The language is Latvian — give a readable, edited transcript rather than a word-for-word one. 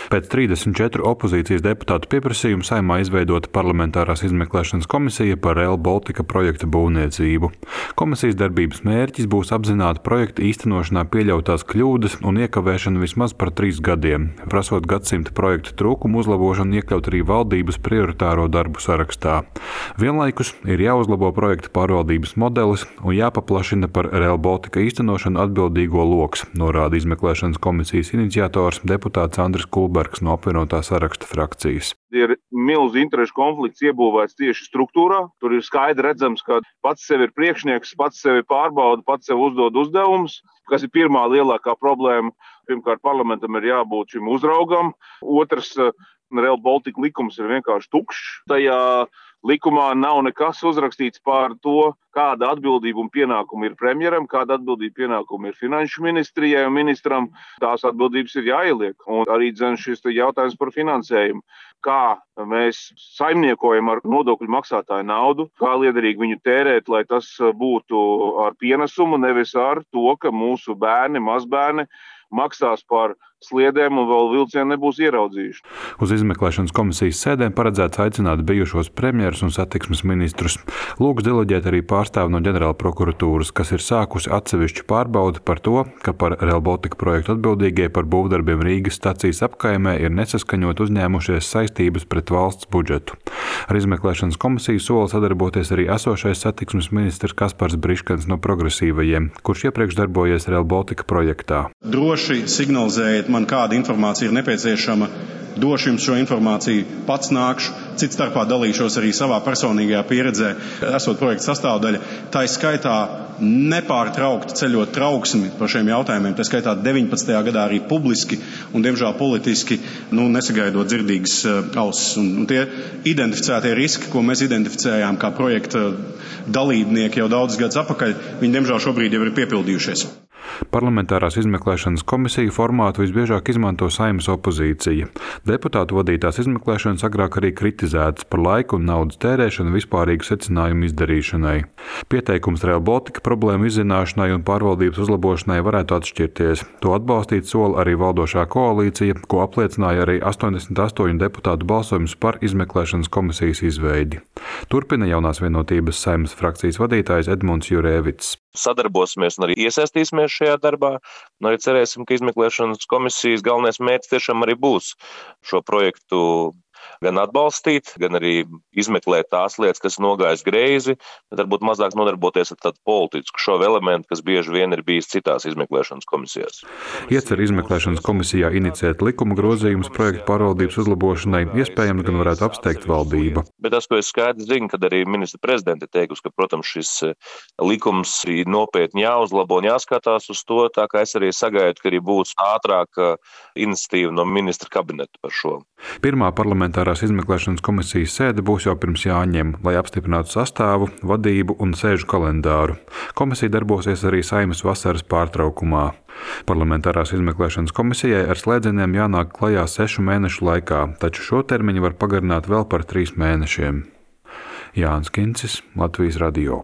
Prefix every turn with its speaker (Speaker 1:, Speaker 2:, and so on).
Speaker 1: Pēc 34 opozīcijas deputātu pieprasījuma Saeimā izveidota parlamentārās izmeklēšanas komisija par Rail Baltica projekta būvniecību. Komisijas darbības mērķis būs apzināti projekta īstenošanā pieļautās kļūdas un iekavēšana vismaz par 3 gadiem, prasot gadsimta projektu trūkumu uzlabošanu iekļaut arī valdības prioritāro darbu sarakstā. Vienlaikus ir jāuzlabo projekta pārvaldības modelis un jāpaplašina par Rail Baltica īstenošanu atbildīgo loks, norāda izmeklēšanas komisijas iniciators deputāts Andris Kulbergs no apvienotā saraksta frakcijas.
Speaker 2: Ir milzu interešu konflikts iebūvēts tieši struktūrā. Tur ir skaidri redzams, ka pats sev ir priekšnieks, pats sevi pārbauda, pats sev uzdod uzdevumus, kas ir pirmā lielākā problēma. Pirmkārt, parlamentam ir jābūt šim uzraugam. Otrs, Rail Baltica likums ir vienkārši tukšs. Tajā likumā nav nekas uzrakstīts par to, kāda atbildība un pienākuma ir premjeram, kāda atbildība pienākuma ir finanšu ministrijai un ministram. Tās atbildības ir jāieliek. Un arī šis jautājums par finansējumu. Kā mēs saimniekojam ar nodokļu maksātāju naudu, kā liederīgi viņu tērēt, lai tas būtu ar pienesumu, nevis ar to, ka mūsu bērni, mazbērni maksās par sliedēm un vēl vilcienu nebūs ieraudzījuši.
Speaker 1: Uz izmeklēšanas komisijas sēdēm paredzēts aicināt bijušos premjerus un satiksmes ministrus. Lūgs deleģēt arī pārstāvi no ģenerāla prokuratūras, kas ir sākusi atsevišķu pārbaudi par to, ka par Rail Baltica projektu atbildīgie par būvdarbiem Rīgas stacijas apkaimē ir nesaskaņot uzņēmušies saistības pret valsts budžetu. Ar izmeklēšanas komisiju sola sadarboties arī esošais satiksmes ministrs Kaspars Briškens no progresīvajiem, kurš iepriekš darbojies Rail Baltica projektā.
Speaker 3: Droši signalizējiet man, kāda informācija ir nepieciešama. Došu jums šo informāciju, pats nākšu, cits starpā dalīšos arī savā personīgajā pieredzē, esot projekta sastāvdaļa. Tā ir skaitā nepārtraukti ceļot trauksmi par šiem jautājumiem, tā skaitā 19. gadā arī publiski un, diemžēl, politiski, nesagaidot dzirdīgas ausis. Un tie identificētie riski, ko mēs identificējām kā projekta dalībnieki jau daudzus gadus atpakaļ, viņi, diemžēl, šobrīd jau ir piepildījušies.
Speaker 1: Parlamentārās izmeklēšanas komisiju formātu visbiežāk izmanto Saeimas opozīcija. Deputātu vadītās izmeklēšanas agrāk arī kritizētas par laiku un naudas tērēšanu vispārīgu secinājumu izdarīšanai. Pieteikums Rail Baltica problēmu izzināšanai un pārvaldības uzlabošanai varētu atšķirties. To atbalstīt sola arī valdošā koalīcija, ko apliecināja arī 88 deputātu balsojums par izmeklēšanas komisijas izveidi. Turpina jaunās vienotības Saeimas frakcijas vadītājs Edmunds Jurēvits.
Speaker 4: Sadarbosimies un arī iesaistīsimies šajā darbā. Un arī cerēsim, ka izmeklēšanas komisijas galvenais mērķis tiešām arī būs šo projektu gan atbalstīt, gan arī izmeklēt tās lietas, kas nogājas greizi, bet varbūt mazāk nodarboties ar tādu politisku šo elementu, kas bieži vien ir bijis citās izmeklēšanas komisijās.
Speaker 1: Iecer izmeklēšanas komisijā iniciēt likuma grozījumus projektu pārvaldības uzlabošanai, iespējams gan varētu apsteigt valdība.
Speaker 4: Bet tas, ko es skaidri zinu, kad arī ministra prezidente teikusi, ka, protams, šis likums ir nopietni jāuzlabo un jāskatās uz to, tā kā es arī sagaidu, ka arī būs ātrāka iniciatīva no ministra kabineta par šo.
Speaker 1: Pirmā parlamentārās izmeklēšanas komisijas sēde būs jau pirms jāņem, lai apstiprinātu sastāvu, vadību un sēžu kalendāru. Komisija darbosies arī Saeimas vasaras pārtraukumā. Parlamentārās izmeklēšanas komisijai ar slēdzieniem jānāk klajā 6 mēnešu laikā, taču šo termiņu var pagarināt vēl par 3 mēnešiem. Jānis Kincis, Latvijas radio.